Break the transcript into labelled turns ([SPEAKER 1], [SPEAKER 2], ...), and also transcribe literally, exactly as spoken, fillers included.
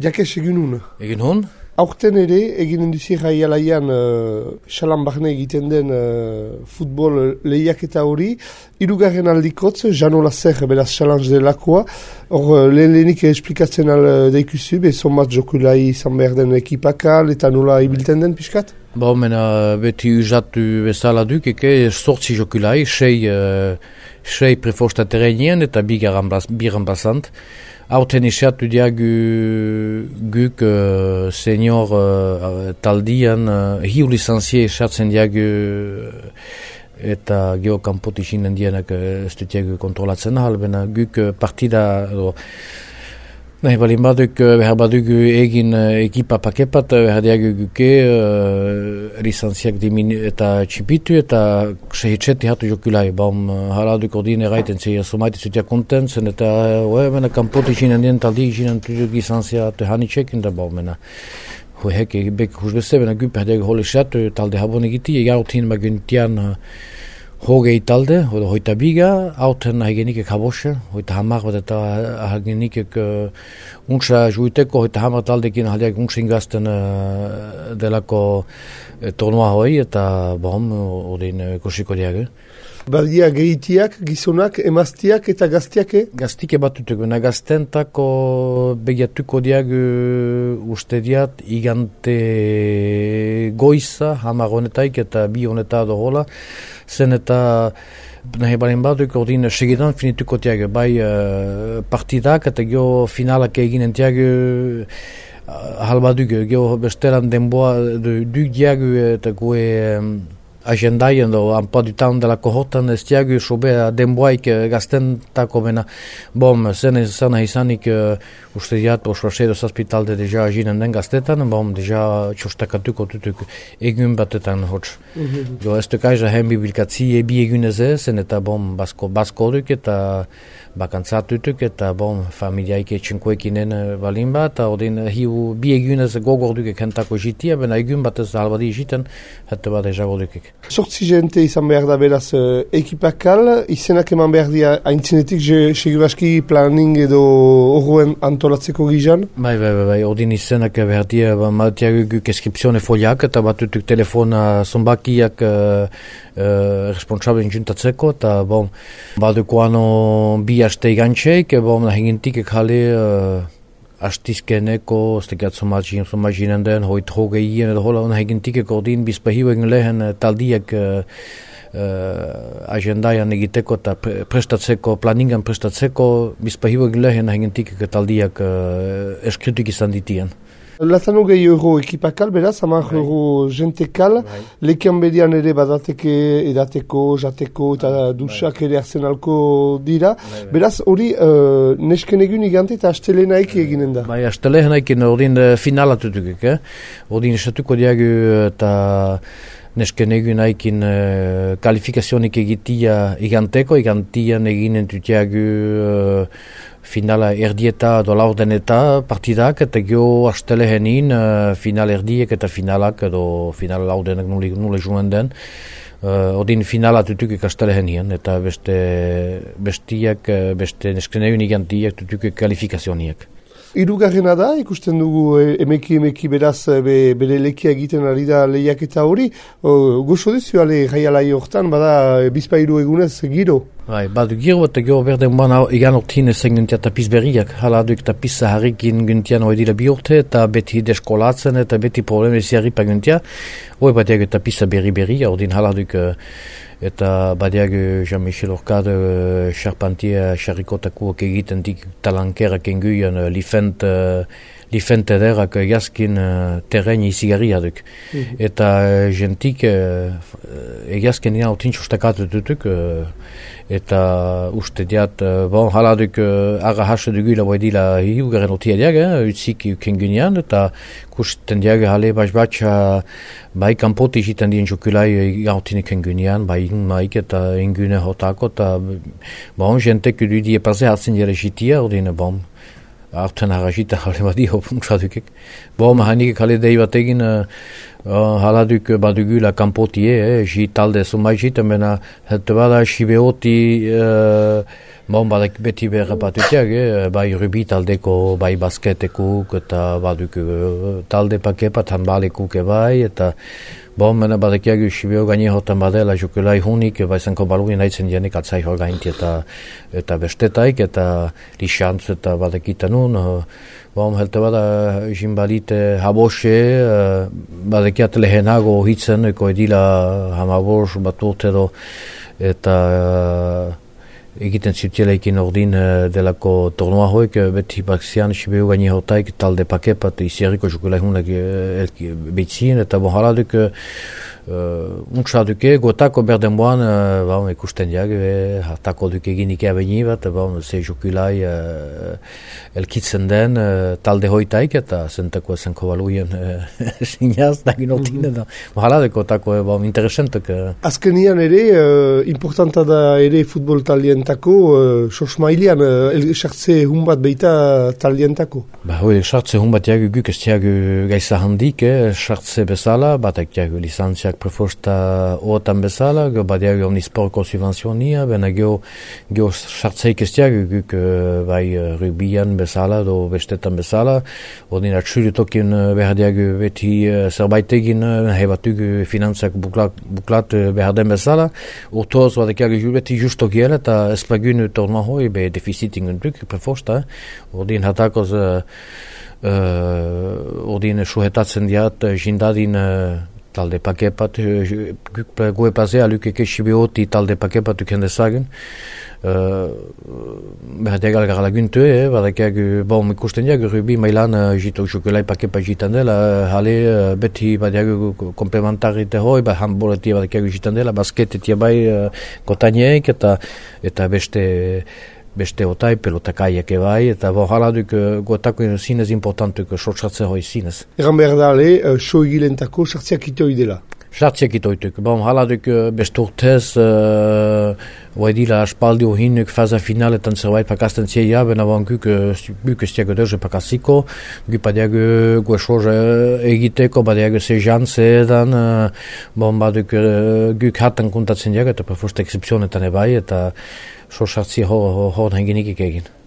[SPEAKER 1] Jakes egin hun.
[SPEAKER 2] Egin hun?
[SPEAKER 1] Aurten ere, eginen duzi jaialaian xalan uh, bahne egiten den uh, futbol lehiaketa hori, hirugarren aldikotz, Jano Lazer, beraz challenge delakoa, hor uh, lehen lehenik esplikatzen al deikuzu, bezon bat jokulai izan behar den ekipakal, eta nola ibilten den pixkat?
[SPEAKER 2] Ba, mena, beti usatu bezala duk, eke, sortzi jokulai, sei, uh, sei prefosta terrenien eta bigan basant. Aurten isatu diagu guk uh, senior uh, taldian uh, hiu licenzie esatzen diagu eta geokampot isinen dienak uh, ez dutiagu kontrolatzen ahal, bena guk uh, partida edo, nahi balin baduk, behar baduk egin uh, ekipa pakepat, behar diagu guke uh, licenziak diminu eta txipitu eta sehitxeti hatu jokulai. Baum uh, haladuk ordine eraiten zei somaiti zutia kontentzen eta uh, mena kampoti jinen dien taldi jinen tuzuk licentzia tehanitxekin da baum mena. Hoi heke bek huzbeze, bena gu behar diagu hole xatu talde habon egiti, egarrotin maguntian uh, hogei talde, hoita biga, auten hagenikek habose, hoita hamar bat eta hagenikek uh, untsa juiteko, hoita hamar taldekin haliak untsa ingazten uh, delako uh, tornoa hoi, eta bom, odin uh, kosiko diag.
[SPEAKER 1] Badia gehitiak, gizonak, emaztiak eta gaztiak, eh?
[SPEAKER 2] Gaztike batutuk, bena gaztentako begiatuko diag uh, uste diat, igante goiza, hamar honetaik eta bi honeta dohola, zen eta nahi balen baduk ordin segidan finituko tiag, bai uh, partidak eta gio finalak eginen tiag uh, halbaduk, gio bestelan denboa duk diag eta gue um, agendaien do anpadutan dela kohotan ez tiagu sobea denboaik gaztentako bena bom, zen zana izanik uh, uste diat osrasedo zazpitalde deja aginen den gaztetan, bom, deja txostakatuko tutuk egun batetan hots. Mm-hmm. Jo, ez tukaiza hen bibilkatzi ebi eguneze, zen eta bom, basko, basko duk eta bakantzatutuk eta bom, familiaik etxinkoekinen balin bat, eta odin hiu bi egunez gogorduk ekentako jitia, bena egun batez halbadi jiten, eta bat deja godukik.
[SPEAKER 1] Sortzi jente izan behar da beraz uh, ekipakal, izenak eman behar dia haintzinetik seguraski planning edo horren antolatzeko gizan?
[SPEAKER 2] Bai, bai, bai, bai, odin izenak behar dia, ba, matiak guk eskripzione foliak eta batutuk telefona zonbakiak uh, uh, responsablen juntatzeko, eta bom, baduko ano bi haste igantxeik, bom, nahingintik ekale uh, astizkeneko, stegat somagin, somaginen den, hoit hogeien edo hola, nahingintik ordin bizpahiu egin lehen taldiak uh, uh, agendaian egiteko eta pre prestatzeko, planingan prestatzeko, bizpahiu egin lehen nahingintik taldiak uh, eskrituk izan ditien.
[SPEAKER 1] Lazano gehi euro ekipakal, beraz, hamar euro jentekal, lekian bedian ere badateke edateko, jateko eta dusak ere arsenalko dira. Beraz, hori uh, nesken egun igante eta astelenaik eginen da.
[SPEAKER 2] Bai, astelenaik ordin finalatutuk, eh? Ordin esatuko diagu eta nesken egun haikin uh, kalifikazionik egitia iganteko, igantian eginen tutiagu uh, finala erdieta edo laurden eta partidak, eta gio astelehenin uh, final erdiek eta finalak edo final laurdenak nule, nule juen den. Uh, odin finala tutukik astelehenien eta beste bestiak, beste neskeneun igantiak tutukik kalifikazioaniak.
[SPEAKER 1] Hirugarrena da, ikusten dugu emeki emeki beraz be, bere lekia egiten ari da lehiaketa hori. O, gozo duzu ale jaialai hortan, bada bizpairu egunez giro.
[SPEAKER 2] Bai, badu giro eta gero berden bana egan ortin ezen guntia tapiz berriak. Hala duk tapiz zaharrikin guntian hori dira bi urte eta beti deskolatzen eta beti probleme ziarripa guntia. Hoi bat egu tapiza berri berri, ordin hala duk eta badiag Jean-Michel Orkade uh, Charpentier Charrikotakuak egiten dik talankerak enguian uh, lifent uh, lifent ederak uh, jaskin uh, terren izigarria duk. Mm-hmm. Eta uh, jentik uh, egazken dina otin txostakatu dutuk uh, eta uste diat uh, bon hala duk uh, ara hasa dugula bai dila hiugaren otia diag, eh, utzik ukengunian eta kusten diag hale bas batxa bai kanpoti jiten dien jokulai gautinik engunian, bai inmaik eta engune hotako, eta bon, jentek ududi epaze hartzen jere jitia, ordine bon, hartzen harajita hale badi hopunxadukik. Bon, hanik hale dei bat egin uh, haladuk badugula kanpotie, eh, jitalde sumai jiten, bena hete bada shibeoti uh, Bon, badek beti behar batutiak, eh? Bai rubi taldeko, bai basketekuk, eta baduk talde pakepat hanbalekuk bai, eta bon, mena badekiak usibio gaini hotan badela jokulai hunik, bai zanko balugi nahitzen dienik atzai hor gainti eta, eta bestetaik, eta lixantz eta badekitan nun. Bon, helte bada jimbalite habose, badekiat lehenago hitzen, eko edila hamabos bat urtero, eta egiten zutielaikin ordin delako tornoa hoik, beti baksian sibiu gaini hotaik talde pakepat izierriko jokulai hunak behitzien, eta bon haladuk Uh, untsa duke, gotako berdenboan uh, bon, ikusten diag, hartako duke eginik abeni bat, bon, ze jokulai uh, elkitzen den uh, talde hoitaik, eta zentako zenko baluien uh, sinaz, dagin ortin, eta hala deko tako, bon, interesentok. Uh.
[SPEAKER 1] Azkenian ere, uh, importanta da ere futbol talientako, uh, sos mailean, uh, sartze hun bat beita talientako.
[SPEAKER 2] Ba, hoi, sartze hun bat diag, guk ez diag gaisa handik, eh, sartze bezala, batak diag licentzia prefosta otan bezala, gero badiak omnisporko subvenzionia, bena gero gero sartzeik ez diak, guk bai rugbian bezala, do bestetan bezala, ordin atxuritokin behar diak beti zerbait egin, hebatug finantzak buklat, buklat behar den bezala, urtoz badiak beti justo giel, eta ez lagun torna hoi, be deficitin duk prefosta, ordin hatakoz uh, ordin suhetatzen diat jindadin talde pakepat, goe plazea lukeke sibioti talde pakepat uken dezagen. Behar diagal gara laguntu, eh? Badakiak, bon, ikusten diag, rubi mailan jitok jokulai pakepat jitan dela, hale beti badiak komplementarite hoi, ba handboletia badakiak jitan dela, basketetia bai kotanieik, eta, eta beste beste otai, pelotakaiak ebai, eta bon, haladuk gotako zinez importantuk sortxatze hoi zinez.
[SPEAKER 1] Egan behar da, ale, so egilentako sartziak itoi dela?
[SPEAKER 2] Sartziak itoituk. Bon, haladuk beste urtez, uh, oedila aspaldi uhinuk faza finaletan zerbait pakasten zieia, bena bon guk, guk ez diago derze pakaziko, guk badiago goesoze egiteko, badiago sejan zeedan, uh, bon, baduk uh, guk hatan kuntatzen diago, eta prefoste excepzionetan ebai, eta so sartzi hor, hor henginik egin.